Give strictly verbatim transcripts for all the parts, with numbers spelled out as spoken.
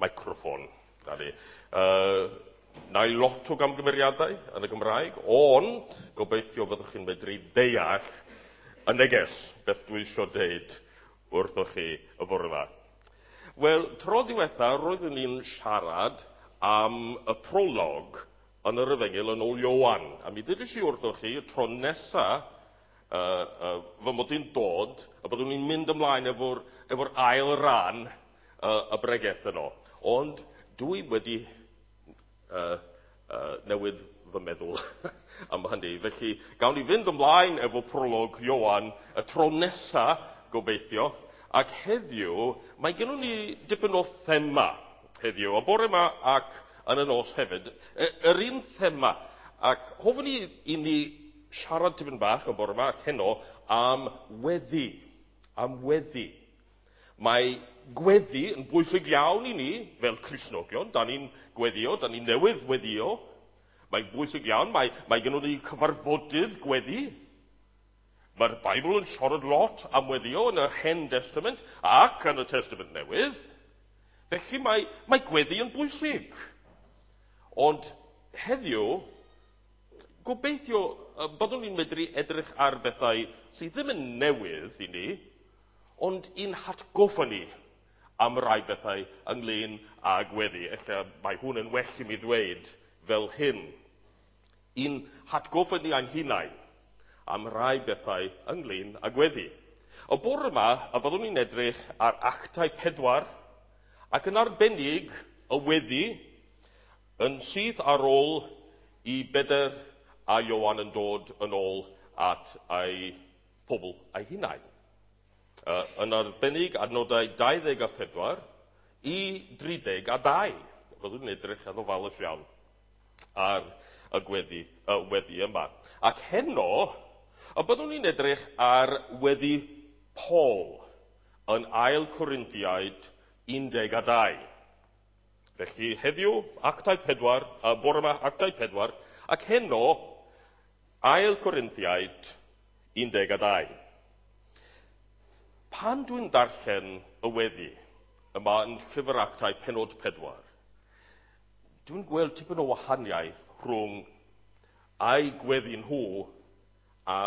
Microffon. Na ni. Uh, na i lot o gamgymeriadau yn y Gymraeg, ond gobeithio byddwch chi'n medru deall y neges beth dwi eisiau deud wrthoch chi y bore yma. Wel, tro diwetha, roeddwn ni'n siarad am y prolog yn yr Efengyl yn ôl Ioan. A mi ddudais i wrthoch chi, y tro nesa uh, uh, fy mod i'n dod, a byddwn ni'n mynd ymlaen efo'r efo ail ran uh, y bregeth yno. Ond dwi wedi uh, uh, newid fy meddwl am hynny. Felly, gawn ni fynd ymlaen efo prolog Ioan y tro nesa, gobeithio. Ac heddiw, mae gennym ni dipyn o thema heddiw. Y bore yma ac yn y nos hefyd. Yr un thema. Ac hoffwn i i ni siarad tipyn bach y bore yma ac heno am weddi. Am weddi. Mae gweddi yn bwysig iawn i ni fel Cristnogion. Da ni'n gweddio, da ni'n newydd weddio. Mae'n bwysig iawn. Mae, mae gennym ni cyfarfodydd gweddi. Mae'r Beibl yn siarad lot am weddio yn yr Hen Testament ac yn y Testament Newydd. Felly mae, mae gweddi yn bwysig. Ond heddiw, gobeithio byddwn ni'n medru edrych ar bethau sydd ddim yn newydd i ni, ond i'n hatgoffa ni am rai bethau ynglyn â gweddi. Ella mae hwn yn well i mi ddweud fel hyn. I'n hatgoffa ni ein hunain am rai bethau ynglyn â gweddi. Y bore yma, a byddwn ni'n edrych ar Actau pedwar, ac yn arbennig y weddi yn syth ar ôl i Bedr a Ioan yn dod yn ôl at ei pobl ei hunain. Uh, yn arbennig adnodau dau ddeg a phedwar i dri deg a dau. Byddwn ni'n edrych yn ofalus iawn ar y gweddi, y weddi yma. Ac heno, y byddwn ni'n edrych ar weddi Paul yn ail Corinthiaid un deg a dau. Felly heddiw, Actau pedwar, uh, bore yma Actau pedwar, ac heno, ail Corinthiaid un deg a dau. Pan dwi'n darllen y weddi yma yn llyfr Actau penod pedwar, dwi'n gweld tipyn o wahaniaeth rhwng a'i gweddi nhw a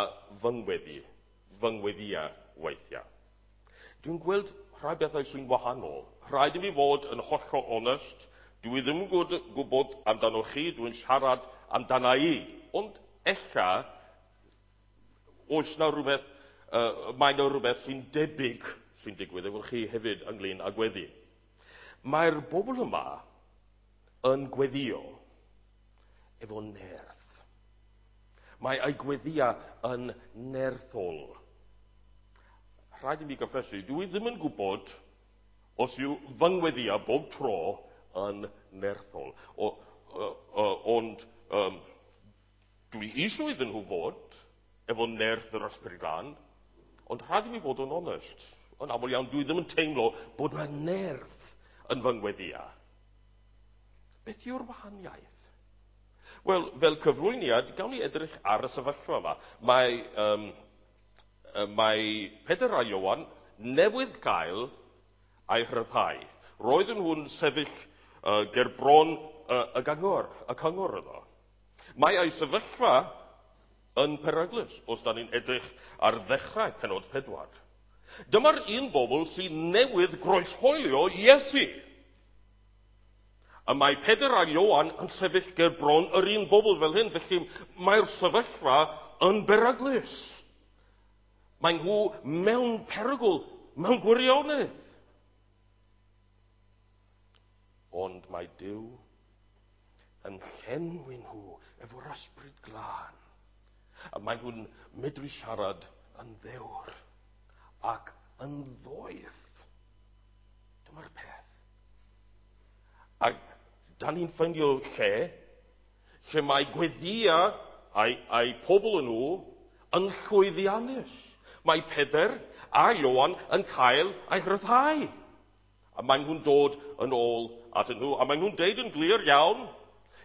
fy ngweddi, fy ngweddia weithiau. Dwi'n gweld rhai bethau sy'n wahanol. Rhaid i mi fod yn hollol onest. Dwi ddim yn gwybod amdano chi, dwi'n siarad amdana i. Ond ella, oes na rhywbeth, uh, mae na rhywbeth sy'n debyg sy'n digwydd efo chi hefyd ynglyn â gweddi. Mae'r bobl yma yn gweddio efo nerth. Mae ei gweddia yn nerthol. Rhaid i mi gyffesu, dwi ddim yn gwybod os yw fy ngweddia bob tro yn nerthol. O, o, o, ond um, dwi eisiau iddyn nhw fod efo nerth yr Ysbryd Glân, ond rhaid i mi fod yn onest. Yn aml iawn, dwi ddim yn teimlo bod yna nerth yn fy ngweddia. Beth yw'r wahaniaeth? Wel, fel cyflwyniad, gawn ni edrych ar y sefyllfa yma. Mae, um, mae Pedr a Ioan newydd gael ei rhyddhau. Roedden nhw'n sefyll uh, ger bron uh, y gyngor, y cyngor yno. Mae ei sefyllfa yn peryglus, os da ni'n edrych ar ddechrau penod pedwar. Dyma'r un bobl sy'n newydd groeshoelio Iesu. A mae Pedr a Ioan yn sefyll ger bron yr un bobl fel hyn, felly mae'r sefyllfa yn beryglus. Mae nhw mewn perygl, mewn gwirionedd. Ond mae Duw yn llenwi nhw efo'r Ysbryd Glân. A mae nhw'n medru siarad yn ddewr ac yn ddoeth. Dyma'r peth. A da ni'n ffeindio lle, lle mae gweddia a'i, a'i pobl yn nhw yn llwyddiannus. Mae Pedr a Ioan yn cael ei rhyddhau. A maen nhw'n dod yn ôl atyn nhw. A maen nhw'n deud yn glir iawn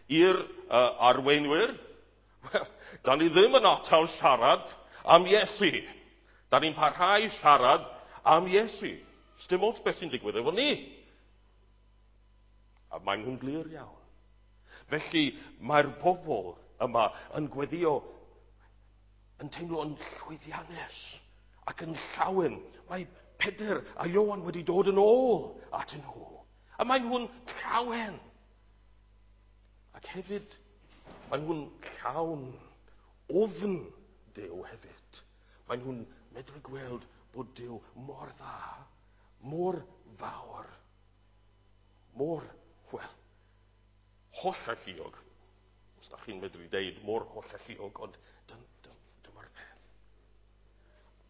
i'r uh, arweinwyr, well, da ni ddim yn atal siarad am Iesu. Da ni'n parhau siarad am Iesu. Sdim ots beth sy'n digwydd efo ni. A maen nhw'n glir iawn. Felly mae'r bobl yma yn gweddio, yn teimlo yn llwyddiannus ac yn llawen. Mae Pedr a Ioan wedi dod yn ôl atyn nhw. A maen nhw'n llawen. Ac hefyd, maen nhw'n llawn ofn Duw hefyd. Maen nhw'n medru gweld bod Duw mor dda, mor fawr, mor, wel, hollalluog. Os da chi'n medru deud mor hollalluog, ond dyn, dyn, dyma'r peth.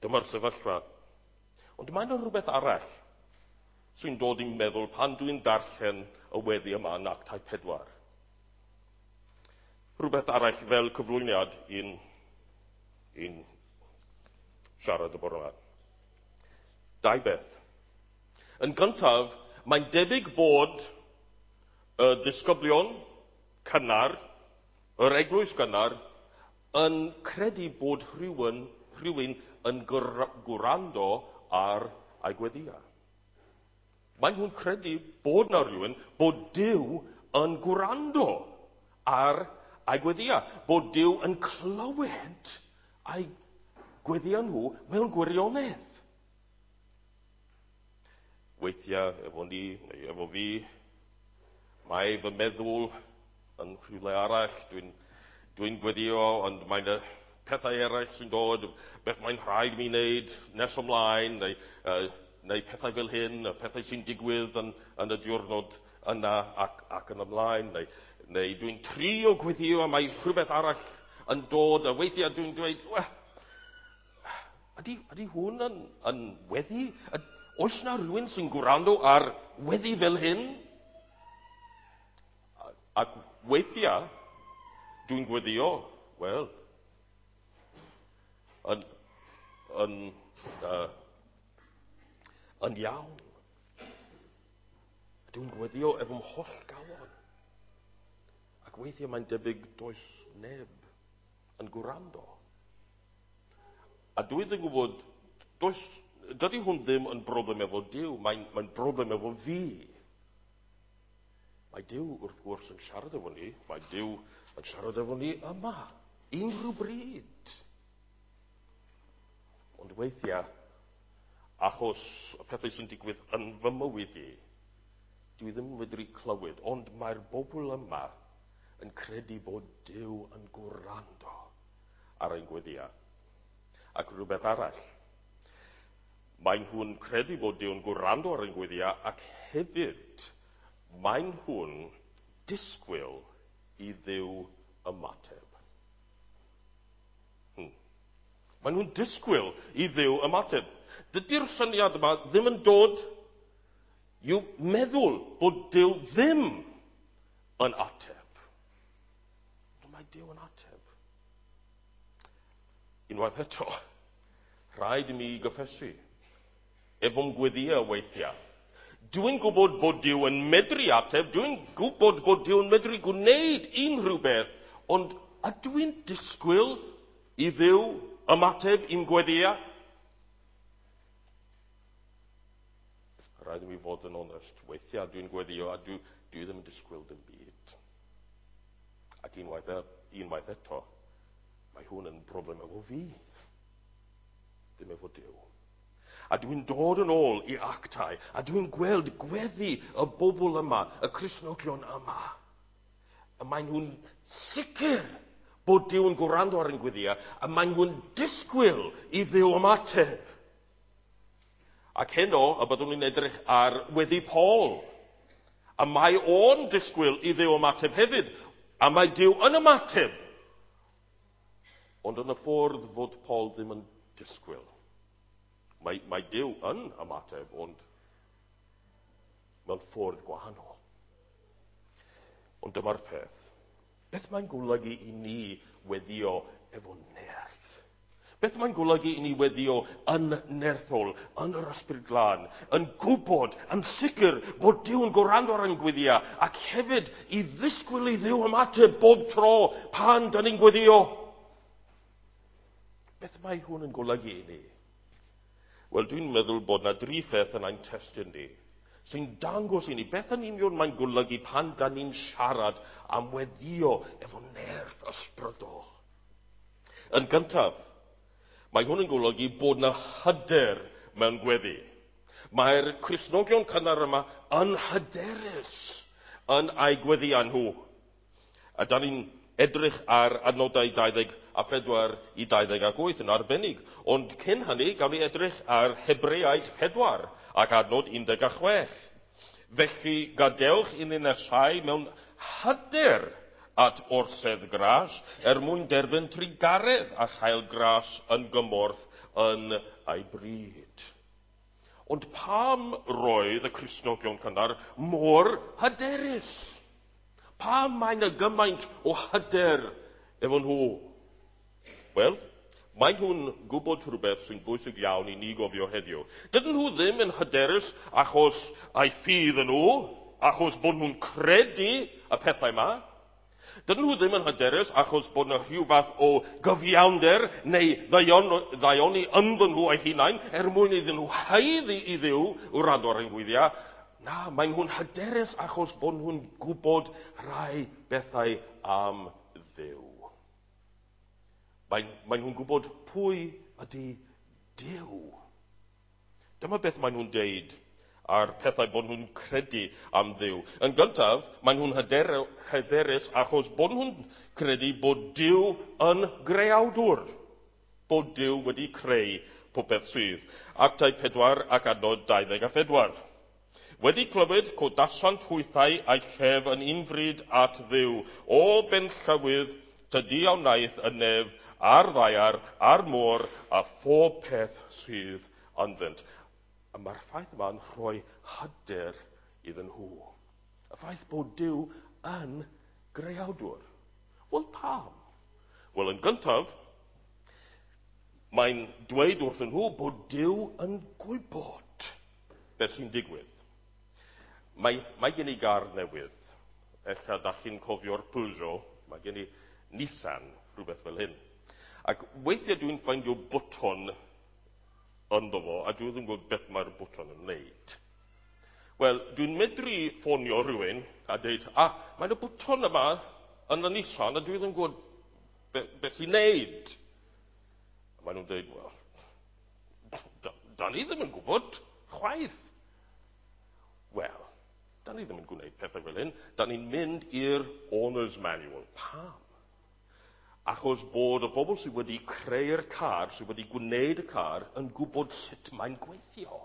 Dyma'r sefyllfa. Ond mae yna rhywbeth arall sy'n dod i'n meddwl pan dwi'n darllen y weddi yma yn Actau pedwar. Rhywbeth arall fel cyflwyniad i'n, i'n siarad y bore yma. Dau beth. Yn gyntaf, mae'n debyg bod y disgyblion cynnar, yr eglwys gynnar, yn credu bod rhywun, rhywun yn gwrando ar ei gweddiau. Maen nhw'n credu bod na rhywun, bod Duw yn gwrando ar ei gweddiau, bod Duw yn clywed ei gweddiau nhw mewn gwirionedd. Weithiau efo ni, neu efo fi, mae fy meddwl yn rhywle arall, dwi'n dwi gweddio, ond mae'n y pethau eraill sy'n dod, beth mae'n rhaid mi wneud nes ymlaen, neu, uh, neu pethau fel hyn, y pethau sy'n digwydd yn, yn y diwrnod yna ac, ac yn ymlaen, neu, neu dwi'n trio gweddio a mae rhywbeth arall yn dod, a weithiau dwi'n dweud, well, ydy, ydy hwn yn, yn weddi? Oes na rhywun sy'n gwrando ar weddi fel hyn? Ac weithiau, dwi'n gweddio, wel, yn, yn, uh, yn iawn. Dwi'n gweddio efo'm holl galon. Ac weithiau mae'n debyg does neb yn gwrando. A dwi ddim yn gwybod, does, dydy hwn ddim yn broblem efo Duw, mae'n, mae'n broblem efo fi. Mae Duw wrth gwrs yn siarad efo ni, mae Duw yn siarad efo ni yma, unrhyw bryd. Ond weithiau, achos y pethau sy'n digwydd yn fy mywyd i, dwi ddim yn medru clywed, ond mae'r bobl yma yn credu bod Duw yn gwrando ar ein gweddiau. Ac rhywbeth arall, maen nhw'n credu bod Duw yn gwrando ar ein gweddiau, ac hefyd maen nhw'n disgwyl i Dduw ymateb. Hmm. Maen nhw'n disgwyl i Dduw ymateb. Dydy'r syniad yma ddim yn dod i'w meddwl bod Duw ddim yn ateb. Ond mae Duw yn ateb. Unwaith eto, rhaid i mi gyffesu, efo'm gweddiau weithiau. Dwi'n gwybod bod Duw yn medru ateb, dwi'n gwybod bod Duw yn medru gwneud unrhyw beth, ond ydw i'n disgwyl i Dduw ymateb i'm gweddiau? Rhaid i mi fod yn onest, weithiau dwi'n gweddio a dwi, dwi ddim yn disgwyl dim byd. Ac unwaith, unwaith eto, mae hwn yn broblem efo fi, ddim efo Duw. A dwi'n dod yn ôl i Actau, a dwi'n gweld gweddi y bobl yma, y Cristnogion yma. A maen nhw'n sicr bod Duw yn gwrando ar ein gweddiau, a maen nhw'n disgwyl i Dduw ymateb. Ac heno, y byddwn ni'n edrych ar weddi Paul. A mae o'n disgwyl i Dduw ymateb hefyd, a mae Duw yn ymateb. Ond yn y ffordd fod Paul ddim yn disgwyl. Mae, mae Duw yn ymateb, ond mewn ffordd gwahanol. Ond dyma'r peth. Beth mae'n golygu i ni weddio efo nerth? Beth mae'n golygu i ni weddio yn nerthol, yn yr Ysbryd Glân, yn gwybod, yn sicr bod Duw yn gwrando ar ein gweddiau, ac hefyd i ddisgwyl i Dduw ymateb bob tro pan dan ni'n gweddio? Beth mae hwn yn golygu i ni? Wel, dwi'n meddwl bod na dri pheth yn ein testun ni sy'n dangos i ni beth yn union mae'n golygu pan da ni'n siarad am weddio efo nerth ysbrydol. Yn gyntaf, mae hwn yn golygu bod yna hyder mewn gweddi. Mae'r Cristnogion cynnar yma yn hyderus yn eu gweddiau nhw. A da ni'n edrych ar adnodau dau ddeg a phedwar i dau ddeg ac wyth yn arbennig. Ond cyn hynny, gawn ni edrych ar Hebreaid pedwar ac adnod un deg a chwech. Felly, gadewch i ni nesau mewn hyder at orsedd gras er mwyn derbyn trugaredd a chael gras yn gymorth yn ei bryd. Ond pam roedd y Cristnogion cynnar mor hyderus? Pam mae yna gymaint o hyder efo nhw? Wel, mae nhw'n gwybod rhywbeth sy'n bwysig iawn i ni gofio heddiw. Dydyn nhw ddim yn hyderus achos eu ffydd yn nhw, achos bod nhw'n credu y pethau yma. Dydyn nhw ddim yn hyderus achos bod yna rhyw fath o gyfiawnder neu ddaioni ynddyn nhw eu hunain er mwyn iddyn nhw haeddu i Dduw wrando ar ein gweddiau. Na, maen nhw'n hyderus achos bod nhw'n gwybod rhai bethau am Dduw. Maen, maen nhw'n gwybod pwy ydy Duw. Dyma beth maen nhw'n deud a'r pethau bod nhw'n credu am Dduw. Yn gyntaf, maen nhw'n hyder, hyderus achos bod nhw'n credu bod Duw yn greawdwr. Bod Duw wedi creu popeth sydd. Actau pedwar ac adnod dau ddeg a phedwar. Wedi clywed codasant hwythau a'i llef yn unfryd at Dduw. O benllywydd, tydi a wnaeth y nef a'r ddaear a'r môr a phob peth sydd ynddynt. A mae'r ffaith yma'n rhoi hyder iddyn nhw. Y ffaith bod Duw yn greawdwr. Wel, pam? Wel, yn gyntaf, mae'n dweud wrthyn nhw bod Duw yn gwybod beth sy'n digwydd. Mae, mae gen i gar newydd. Ella da chi'n cofio'r Peugeot. Mae gen i Nissan, rhywbeth fel hyn. Ac weithiau dwi'n ffeindio bwton ynddo fo, a dwi ddim yn gwybod beth mae'r bwton yn wneud. Wel, dwi'n medru ffonio rhywun a dweud, ah, mae'n y bwton yma yn y Nissan, a dwi ddim yn gwybod be, beth i'n wneud. A maen nhw'n dweud, wel, da, da ni ddim yn gwybod, chwaith. Wel, da ni ddim yn gwneud pethau fel hyn. Da ni'n mynd i'r owner's manual. Pam? Achos bod y bobl sydd wedi creu'r car, sydd wedi gwneud y car, yn gwybod sut mae'n gweithio.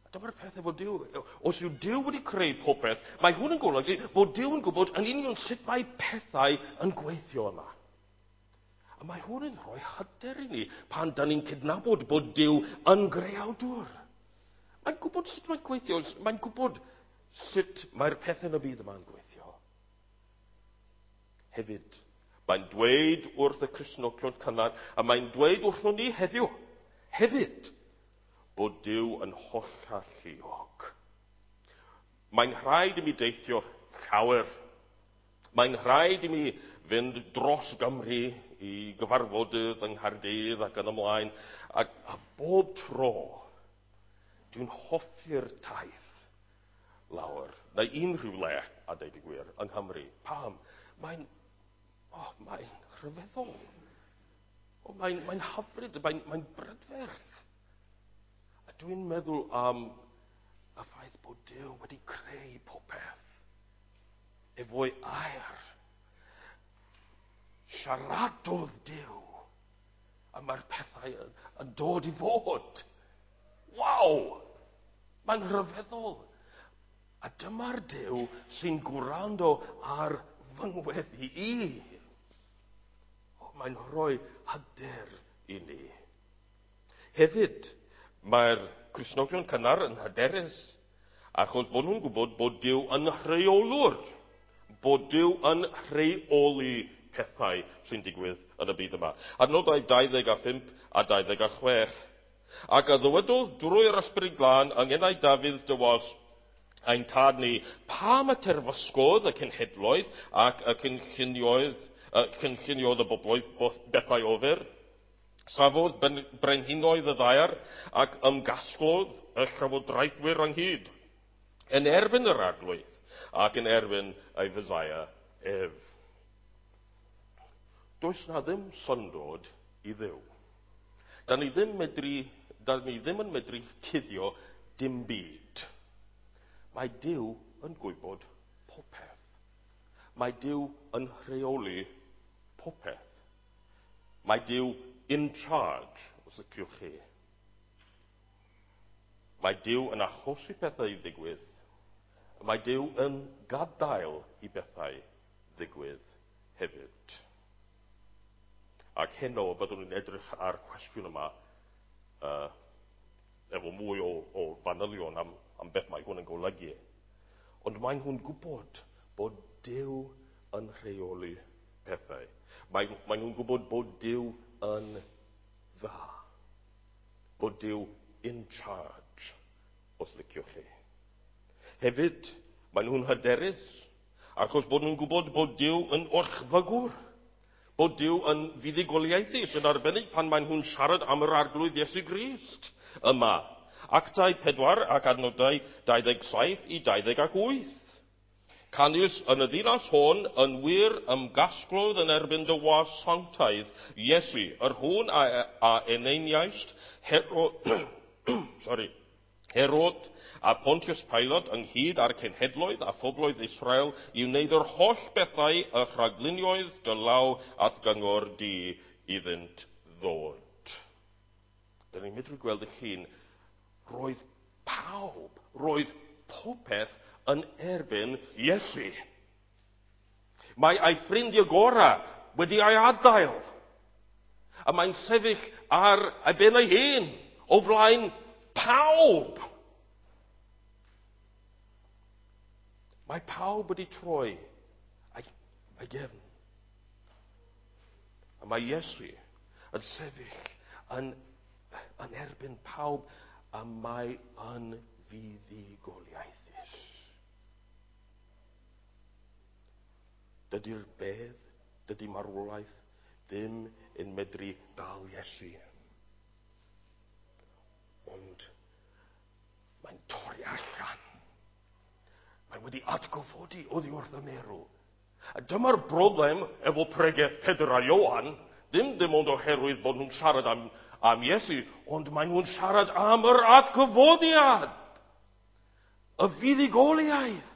A dyma'r peth efo Duw. Os yw Duw wedi creu popeth, mae hwn yn golygu bod Duw yn gwybod yn union sut mae pethau yn gweithio yma. A mae hwn yn rhoi hyder i ni pan da ni'n cydnabod bod Duw yn greawdwr. Mae'n gwybod sut mae'n gweithio, mae'n gwybod sut mae'r pethau yn y byd yma'n gweithio. Hefyd, mae'n dweud wrth y Cristnogion cynnar, a mae'n dweud wrthon ni heddiw, hefyd, bod Duw yn hollalluog. Mae'n rhaid i mi deithio llawer. Mae'n rhaid i mi fynd dros Gymru i gyfarfodydd yng Nghaerdydd ac yn ymlaen. A, a bob tro, dwi'n hoffi'r taith lawr, neu unrhyw le, a deud y gwir, yng Nghymru. Pam? Mae'n, oh, mae'n rhyfeddol. Oh, mae'n, mae'n hyfryd, mae'n, mae'n brydferth. A dwi'n meddwl am y ffaith bod Duw wedi creu popeth efo'i air. Siaradodd Duw, a mae'r pethau yn, yn dod i fod. Waw! Mae'n rhyfeddol. A dyma'r Duw sy'n gwrando ar fy ngweddi i. O, mae'n rhoi hyder i ni. Hefyd, mae'r Cristnogion cynnar yn hyderus, achos bod nhw'n gwybod bod Duw yn rheolwr, bod Duw yn rheoli pethau sy'n digwydd yn y byd yma. Adnodau dau ddeg a phump a dau ddeg a chwech. Ac a ddywedodd drwy'r Ysbryd Glân yng ngenau Dafydd dy was ein tad ni, pam y terfysgodd y cenhedloedd ac y cynlluniodd, y cynlluniodd y bobloedd bethau ofer? Safodd brenhinoedd y ddaear ac ymgasglodd y llywodraethwyr ynghyd yn erbyn yr Arglwydd ac yn erbyn ei Feseia ef. Does na ddim syndod i Dduw. Da ni ddim, medru, da ni ddim yn medru cuddio dim byd. Mae Duw yn gwybod popeth. Mae Duw yn rheoli popeth. Mae Duw in charge, os liciwch chi. Mae Duw yn achosi pethau i ddigwydd. Mae Duw yn gadael i bethau ddigwydd hefyd. Ac heno byddwn ni'n edrych ar cwestiwn yma uh, efo mwy o, o fanylion am, am beth mae hwn yn golygu. Ond mae nhw'n gwybod bod Duw yn rheoli pethau. Mae, mae nhw'n gwybod bod Duw yn dda. Bod Duw in charge, os liciwch chi. Hefyd, mae nhw'n hyderus, achos bod nhw'n gwybod bod Duw yn orchfygwr, bod Duw yn fuddugoliaethus, yn arbennig pan maen nhw'n siarad am yr Arglwydd Iesu Grist yma. Actau pedwar ac adnodau dau ddeg saith i dau ddeg ac wyth. Canys yn y ddinas hon yn wir ymgasglodd yn erbyn dy was sanctaidd Iesu, yr hwn a, a eneiniaist Herod, sorry, Herod a Pontius Pilate ynghyd â'r cenhedloedd a phobloedd Israel i wneud yr holl bethau y rhaglunioedd dy law a'th gyngor di iddynt ddod. Dyna ni'n medru gweld y llun. Roedd pawb, roedd popeth yn erbyn Iesu. Mae ei ffrindiau gorau wedi ei adael. A mae'n sefyll ar ei ben ei hun o flaen pawb. Mae pawb wedi troi ei, ei gefn. A mae Iesu yn sefyll yn, yn erbyn pawb a mae yn fuddugoliaethus. Dydy'r bedd, dydy marwolaeth ddim yn medru dal Iesu. Ond mae'n torri allan. Mae wedi atgyfodi oddi wrth y meirw. A dyma'r broblem efo pregeth Pedr a Ioan, ddim dim ond oherwydd bod nhw'n siarad am, am Iesu, ond maen nhw'n siarad am yr atgyfodiad, y fuddugoliaeth.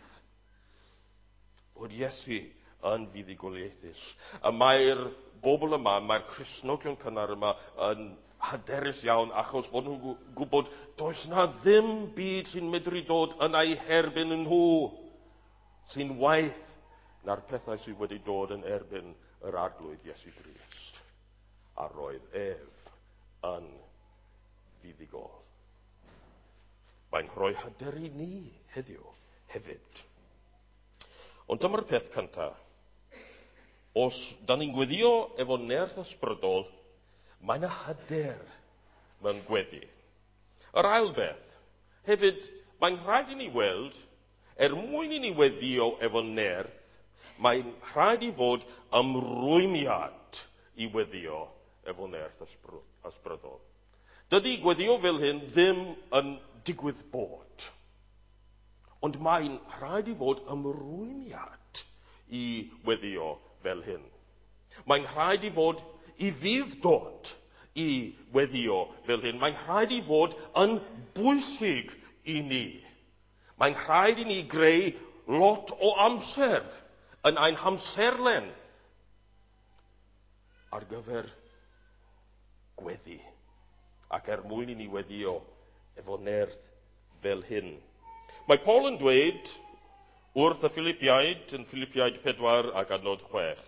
Bod Iesu yn fuddugoliaethus. A mae'r bobl yma, mae'r Cristnogion cynnar yma yn hyderus iawn achos bod nhw'n gwybod does na ddim byd sy'n medru dod yn eu herbyn nhw sy'n waeth na'r pethau sydd wedi dod yn erbyn yr Arglwydd Iesu Grist. A roedd ef yn fuddugol. Mae'n rhoi hyder i ni heddiw hefyd. Ond dyma'r peth cyntaf. Os da ni'n gweddio efo nerth ysbrydol, mae yna hyder mewn gweddi. Yr ail beth, hefyd, mae'n rhaid i ni weld, er mwyn i ni weddio efo nerth, mae'n rhaid i fod ymrwymiad i weddio efo nerth ysbrydol. Dydy gweddio fel hyn ddim yn digwydd bod. Ond mae'n rhaid i fod ymrwymiad i weddio fel hyn. Mae'n rhaid i fod i fudd-dod i weddio fel hyn. Mae'n rhaid i fod yn bwysig i ni. Mae'n rhaid i ni greu lot o amser yn ein hamserlen ar gyfer gweddi. Ac er mwyn i ni weddio efo nerth fel hyn. Mae Paul yn dweud wrth y Philippiaid, yn Philippiaid pedwar ac adnod chwech,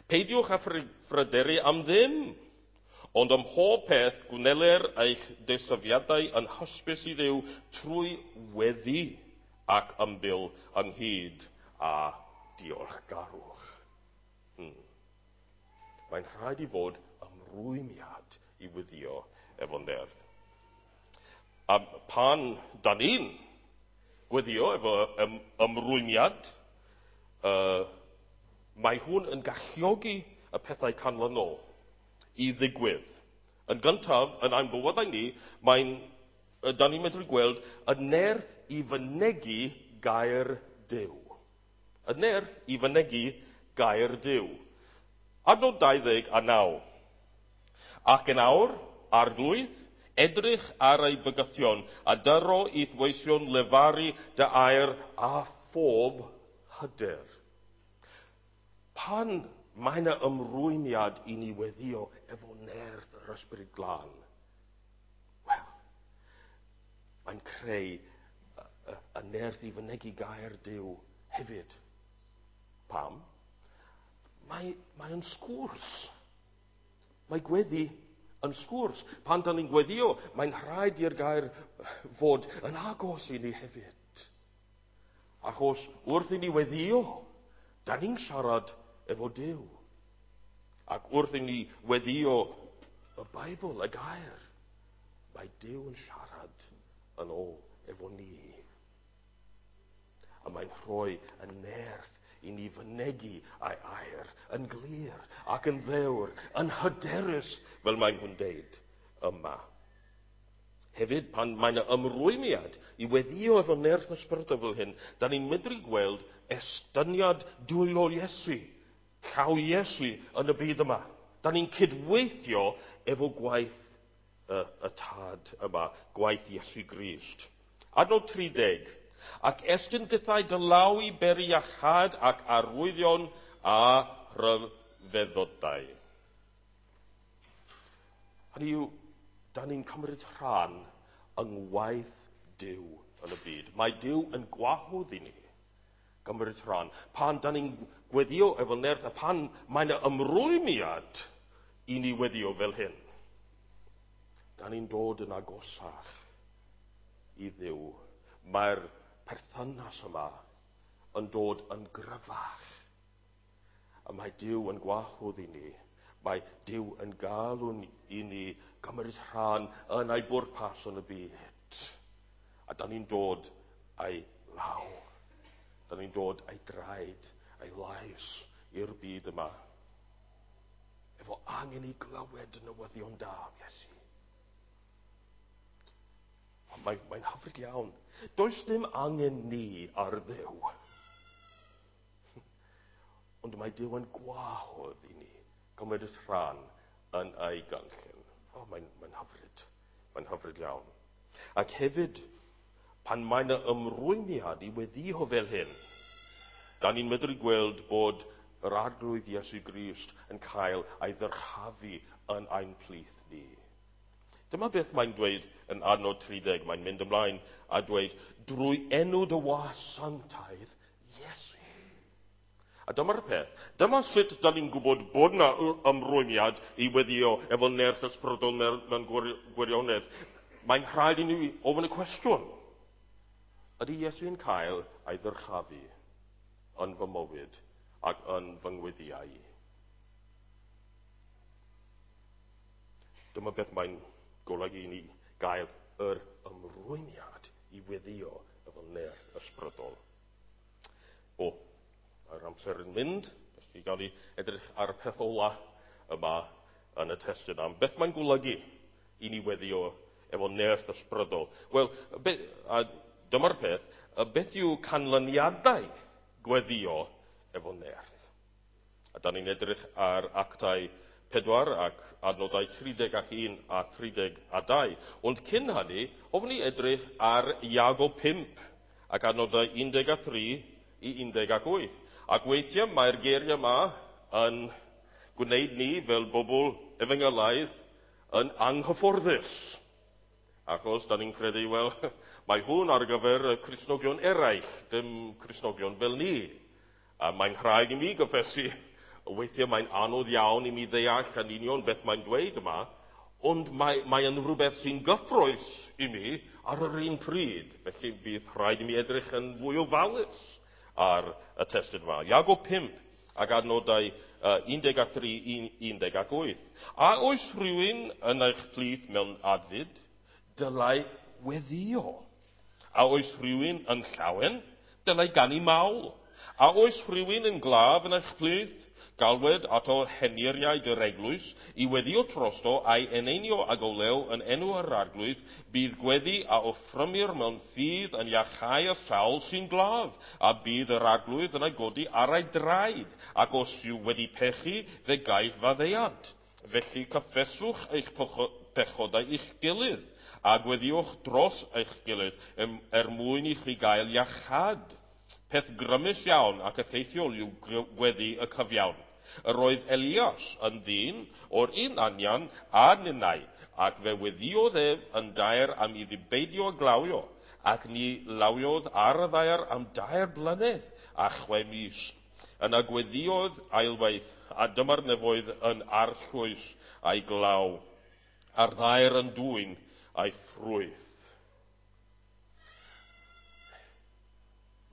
peidiwch â phryderu am ddim, ond ym mhob peth gwneler eich deisyfiadau yn hysbys i Dduw trwy weddi ac ymbil ynghyd â diolchgarwch. Hmm. Mae'n rhaid i fod ymrwymiad i weddio efo nerth. A pan da ni'n gweddio efo ym, ymrwymiad, uh, mae hwn yn galluogi y pethau canlynol i ddigwydd. Yn gyntaf, yn ein bywydau ni, mae'n, da ni'n medru gweld y nerth i fynegi gair Duw. Y nerth i fynegi gair Duw. Adnod dau ddeg a naw. Ac yn awr, Arglwydd, edrych ar ei bygythion, a dyro i'th weision lefaru dy air a phob hyder. Pan mae yna ymrwymiad i ni weddio efo nerth yr Ysbryd Glân, wel, mae'n creu y, y, y nerth i fynegi gair Duw hefyd. Pam? Mae, mae'n sgwrs. Mae gweddi yn sgwrs. Pan dan ni'n gweddio, mae'n rhaid i'r gair fod yn agos i ni hefyd. Achos wrth i ni weddio, dan ni'n siarad efo Duw. Ac wrth i ni weddio y Beibl, y gair, mae Duw yn siarad yn ôl efo ni. A mae'n rhoi y nerth i ni fynegi ei air yn glir ac yn ddewr, yn hyderus, fel mae nhw'n deud yma. Hefyd, pan mae'n ymrwymiad i weddio efo nerth ysbrydol fel hyn, da ni'n medru gweld estyniad dwylo Iesu, llaw Iesu yn y byd yma. Da ni'n cydweithio efo gwaith y, y Tad yma, gwaith Iesu Grist. Adnod tri deg. Ac estyn dithau dy law i beri iachâd ac arwyddion a rhyfeddodau. Hynny yw, da ni'n cymryd rhan yng ngwaith Duw yn y byd. Mae Duw yn gwahodd i ni gymryd rhan. Pan da ni'n gweddio efo nerth, a pan mae yna ymrwymiad i ni weddio fel hyn, da ni'n dod yn agosach i Dduw. Mae'r perthynas yma yn dod yn gryfach. A mae Duw yn gwahodd i ni. Mae Duw yn galw i ni gymryd rhan yn ei bwrpas yn y byd. A da ni'n dod a'i law. Da ni'n dod a'i draed, a'i lais i'r byd yma. Efo angen i glywed newyddion da am Iesu. Mae'n mae hyfryd iawn. Does dim angen ni ar Dduw. Ond mae Duw yn gwahodd i ni gymryd rhan yn ei gynllun. O, mae'n mae hyfryd. Mae'n hyfryd iawn. Ac hefyd, pan mae'n ymrwymiad i weddio fel hyn, da ni'n medru gweld bod yr Arglwydd Iesu Grist yn cael ei ddyrchafu yn ein plith ni. Dyma beth mae'n dweud yn adnod tri deg. Mae'n mynd ymlaen a dweud, drwy enw dy was sanctaidd, Iesu. A dyma'r peth. Dyma sut da ni'n gwybod bod yna ymrwymiad i weddio efo nerth ysbrydol mewn gwirionedd. Mae'n rhaid i ni ofyn y cwestiwn. Ydy Iesu'n cael ei ddyrchafu yn fy mywyd ac yn fy ngweddiau? Dyma beth mae'n golygu i ni gael yr ymrwymiad i weddio efo nerth ysbrydol. O, mae'r amser yn mynd, felly gael ni edrych ar y peth ola yma yn y testun am beth mae'n golygu i ni weddio efo nerth ysbrydol. Wel, be, a dyma'r peth, beth yw canlyniadau gweddio efo nerth? A da ni'n edrych ar Actau pedwar ac adnodau tri deg ac un a tri deg a dau. Ond cyn hynny, hoffwn ni edrych ar Iago pump ac adnodau un deg a tri i un deg ac wyth. Ac weithiau mae'r geiriau yma yn gwneud ni fel bobl efengylaidd yn anghyfforddus. Achos da ni'n credu, wel, mae hwn ar gyfer y Cristnogion eraill, dim Cristnogion fel ni. A mae'n rhaid i mi gyffesu, weithiau mae'n anodd iawn i mi ddeall yn union beth mae'n dweud yma, ond mae, mae yn rhywbeth sy'n gyffrous i mi ar yr un pryd. Felly bydd rhaid i mi edrych yn fwy ofalus ar y testun yma. Iago pump ac adnodau uh, un deg a tri i un deg ac wyth. A oes rhywun yn eich plith mewn adfyd, dylai weddio. A oes rhywun yn llawen, dylai ganu mawl. A oes rhywun yn glaf yn eich plith, Galwed ato henuriaid yr eglwys i weddio trosto a'i eneinio ag olew yn enw yr Arglwydd, bydd gweddi a offrymir mewn ffydd yn iachau y sawl sy'n glaf, a bydd yr Arglwydd yn ei godi ar ei draed, ac os yw wedi pechu, fe gaiff faddeuant. Felly cyffeswch eich pechodau i'ch gilydd, a gweddiwch dros eich gilydd er mwyn i chi gael iachâd. Peth grymus iawn ac effeithiol yw gweddi y cyfiawn. Yr oedd Elias yn ddyn o'r un anian a ninnau, ac fe weddiodd ef yn daer am iddi beidio glawio, ac ni lawiodd ar y ddaear am dair blynedd a chwe mis. Yna gweddiodd ailwaith, a dyma'r nefoedd yn arllwys a'i glaw, a'r ddaear yn dwyn a'i ffrwyth.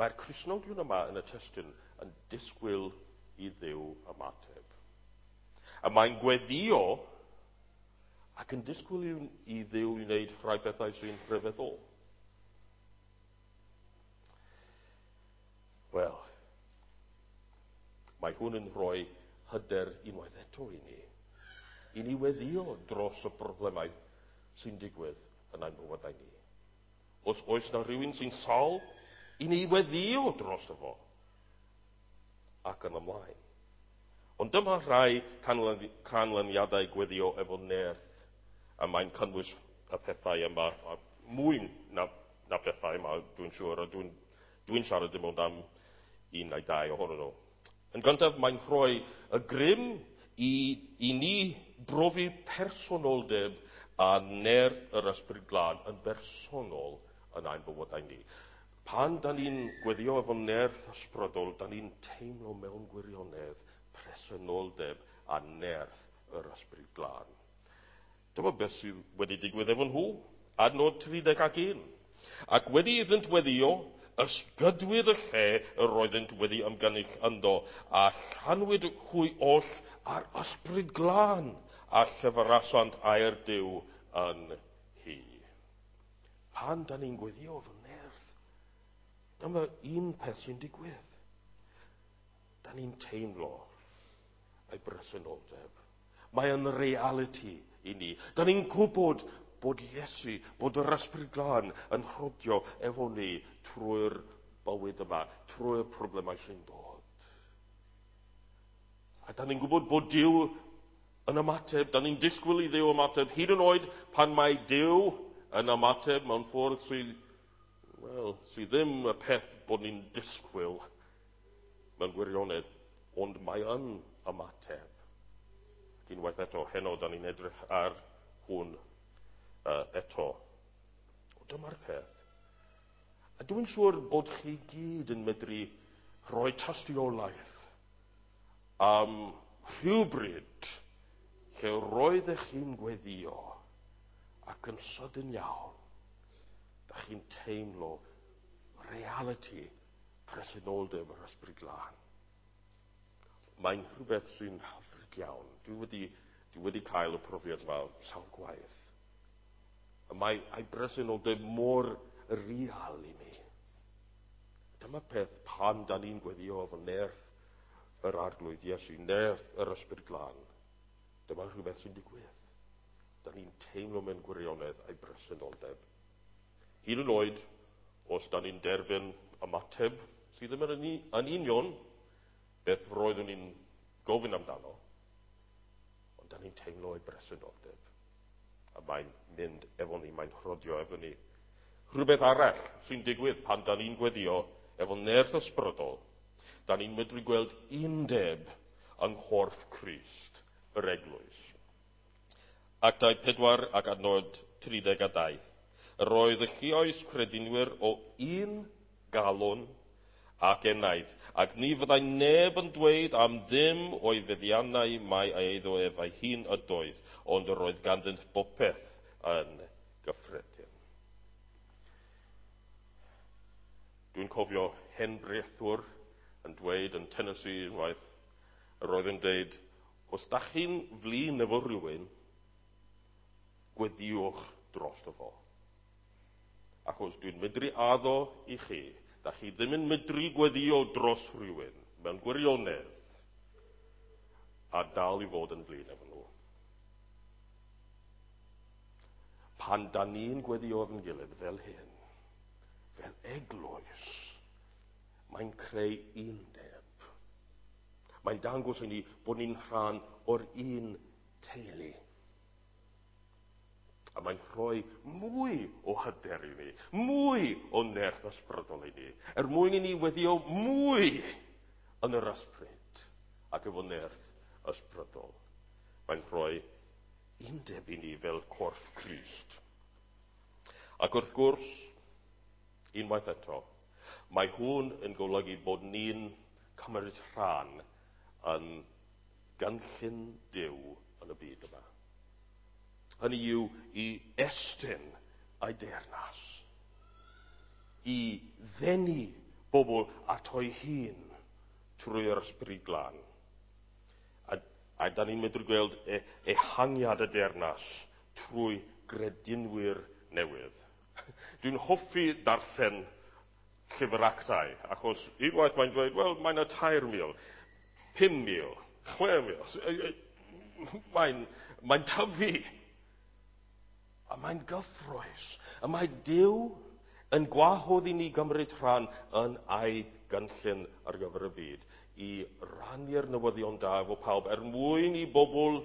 Mae'r Cristnogion yma yn y testun yn disgwyl i Dduw ymateb. A mae'n gweddio ac yn disgwyl i Dduw i wneud rhai bethau sy'n rhyfeddol. Wel, mae hwn yn rhoi hyder unwaith eto i ni. I ni weddio dros y problemau sy'n digwydd yn ein bywydau ni. Os oes na rhywun sy'n sâl, i ni weddio dros fo ac yn ymlaen. Ond dyma rhai canlyniadau gweddio efo nerth, a mae'n cynnwys y pethau yma, a mwy na, na pethau yma, dwi'n siŵr, a dwi'n dwi siarad dim ond am un neu dau ohonyn nhw. Yn gyntaf, mae'n rhoi y grym i, i ni brofi personoldeb a nerth yr Ysbryd Glân yn bersonol yn ein bywydau ni. Pan da ni'n gweddio efo nerth ysbrydol, da ni'n teimlo mewn gwirionedd presenoldeb a nerth yr Ysbryd Glân. Dyma beth sydd wedi digwydd efo nhw, adnod tri deg ac un. Ac wedi iddynt weddio, ysgydwyd y lle yr oeddynt wedi ymgynnull ynddo, a llanwyd hwy oll ar Ysbryd Glân, a llefarasant air Duw yn hi. Pan da ni'n gweddio efo nerth, dyma un peth sy'n digwydd. Da ni'n teimlo ei bresenoldeb. Mae yn reality i ni. Da ni'n gwybod bod Iesu, bod yr Ysbryd Glân yn rhodio efo ni trwy'r bywyd yma, trwy'r problemau sy'n dod. A da ni'n gwybod bod Duw yn ymateb, da ni'n disgwyl i Dduw ymateb, hyd yn oed pan mae Duw yn ymateb mewn ffordd sydd, wel, sydd ddim y peth bod ni'n disgwyl mewn gwirionedd, ond mae yn ymateb. Ac unwaith eto, heno, da ni'n edrych ar hwn uh, eto. O, dyma'r peth. A dwi'n siŵr bod chi gyd yn medru rhoi tystiolaeth am rhywbryd lle roeddech chi'n gweddio ac yn sydyn iawn, da chi'n teimlo reality presenoldeb yr Ysbryd Glân. Mae'n rhywbeth sy'n hyfryd iawn. Dwi wedi, dwi wedi cael y profiad yma sawl gwaith. Mae ei bresenoldeb mor real i mi. Dyma peth pan da ni'n gweddio efo nerth yr Arglwydd Iesu, nerth yr Ysbryd Glân. Dyma rhywbeth sy'n digwydd. Da ni'n teimlo mewn gwirionedd ei bresenoldeb. Hyd yn oed, os da ni'n derbyn ymateb sydd ddim yn, yn union beth roeddwn ni'n gofyn amdano, ond da ni'n teimlo ei bresenoldeb. A mae'n mynd efo ni, mae'n rhodio efo ni. Rhywbeth arall sy'n digwydd pan da ni'n gweddio efo nerth ysbrydol, da ni'n medru gweld undeb yng nghorff Crist, yr eglwys. Actau pedwar ac adnod tri deg a dau. Yr oedd y lluoes credinwyr o un galon ac enaid, ac ni fyddai neb yn dweud am ddim o'i feddiannau mai ei eiddo ef ei hun ydoedd, ond yr oedd ganddynt bopeth yn gyffredin. Dwi'n cofio hen brethwr yn dweud yn Tennessee unwaith, yr oedd yn dweud, os da chi'n flin efo rhywun, gweddiwch drosto fo. Achos dwi'n medru addo i chi, da chi ddim yn medru gweddio dros rhywun mewn gwirionedd, a dal i fod yn flin efo nhw. Pan da ni'n gweddio efo'n gilydd fel hyn, fel eglwys, mae'n creu undeb. Mae'n dangos i ni bod ni'n rhan o'r un teulu. A mae'n rhoi mwy o hyder i ni, mwy o nerth ysbrydol i ni, er mwyn i ni weddio mwy yn yr ysbryd ac efo nerth ysbrydol. Mae'n rhoi undeb i ni fel corff Crist. Ac wrth gwrs, unwaith eto, mae hwn yn golygu bod ni'n cymryd rhan yn gynllun Duw yn y byd yma. Hynny yw i estyn ei deyrnas, i ddenu bobl ato'i hun trwy'r Ysbryd Glân. A, a da ni'n medru gweld e, ehangiad y deyrnas trwy gredinwyr newydd. Dwi'n hoffi darllen llyfr Actau, achos unwaith mae'n dweud, wel, mae'n y tair mil, pum mil, chwe mil. Mae'n mae tyfu. A mae'n gyffrous. A mae Duw yn gwahodd i ni gymryd rhan yn ei gynllun ar gyfer y byd, i rannu'r newyddion da efo pawb, er mwyn i bobl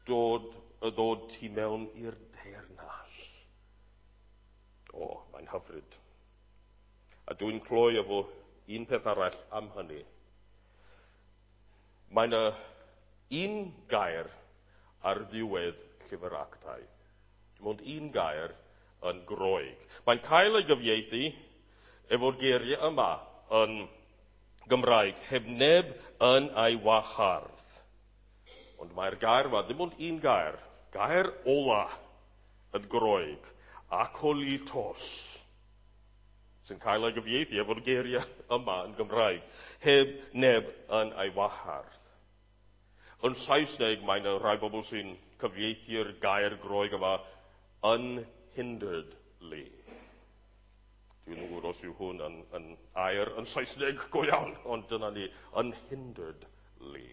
dod, ddod tu mewn i'r deyrnas. O, mae'n hyfryd. A dwi'n cloi efo un peth arall am hynny. Mae yna un gair ar ddiwedd llyfr Actau. Dim ond un gair yn Groeg. Mae'n cael ei gyfieithu efo'r geiriau yma yn Gymraeg, heb neb yn ei wahardd. Ond mae'r gair yma, ddim ond un gair, gair ola yn Groeg, akolitos, sy'n cael ei gyfieithu efo'r geiriau yma yn Gymraeg, heb neb yn ei wahardd. Yn Saesneg, mae yna rhai bobl sy'n cyfieithu'r gair Groeg yma unhinderedly. Dwi'n yn gwybod os yw hwn yn, yn air yn Saesneg go iawn, ond dyna ni, unhinderedly.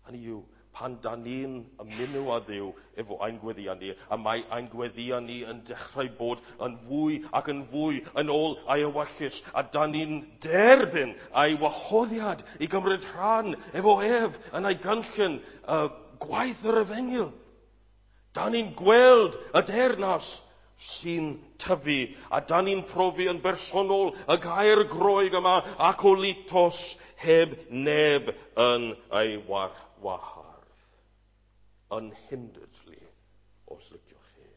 Hynny yw, pan da ni'n ymuno â Dduw efo ein gweddiau ni, a mae ein gweddiau ni yn dechrau bod yn fwy ac yn fwy yn ôl ei ewyllys, a da ni'n derbyn ei wahoddiad i gymryd rhan efo ef yn ei gynllun uh, gwaith yr efengyl. Da ni'n gweld y deyrnas sy'n tyfu, a da ni'n profi yn bersonol y gair Groeg yma, akolitos, heb neb yn ei wahardd. Unhinderedly, os liciwch chi.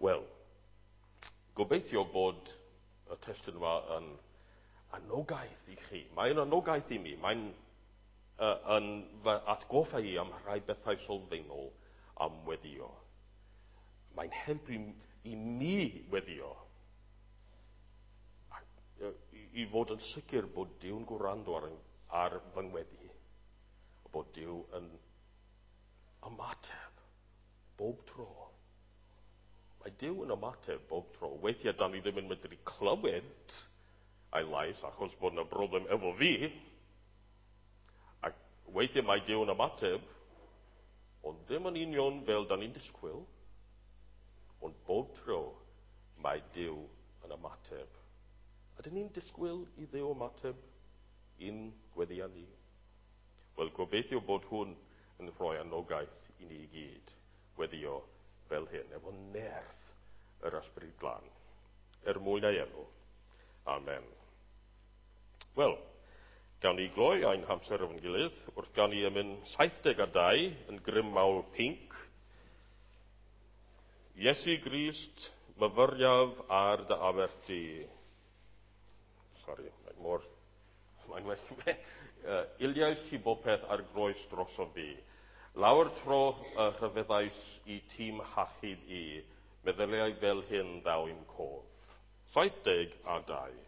Wel, gobeithio bod y testun yma yn anogaeth i chi. Mae'n anogaeth i mi. Mae'n uh, yn fy atgoffa i am rhai bethau sylfaenol am weddio. Mae'n helpu i mi weddio. Ac, i, i fod yn sicr bod Duw'n gwrando ar, ar fy ngweddi. Bod Duw yn ymateb bob tro. Mae Duw yn ymateb bob tro. Weithiau da ni ddim yn medru clywed ei lais achos bod yna broblem efo fi. Ac weithiau mae Duw yn ymateb, ond ddim yn union fel da ni'n disgwyl. Ond bob tro mae Duw yn ymateb. Ydyn ni'n disgwyl i Dduw ymateb i'n gweddiau ni? Wel, gobeithio bod hwn yn rhoi anogaeth i ni i gyd weddio fel hyn, efo nerth yr Ysbryd Glân, er mwyn ei enw. Amen. Wel, gawn ni gloi ein hamser efo'n gilydd wrth ganu emyn saith deg a dau yn grym mawl pinc. Iesu Grist, myfyriaf ar dy aberth di. Sori, mae'n mor... Mae'n well. uh, Iliais ti bopeth ar groes drosof fi. Lawr tro uh, rhyfeddais i tîm hachub i, meddyliau fel hyn ddaw i'm cof. Saith deg a dau.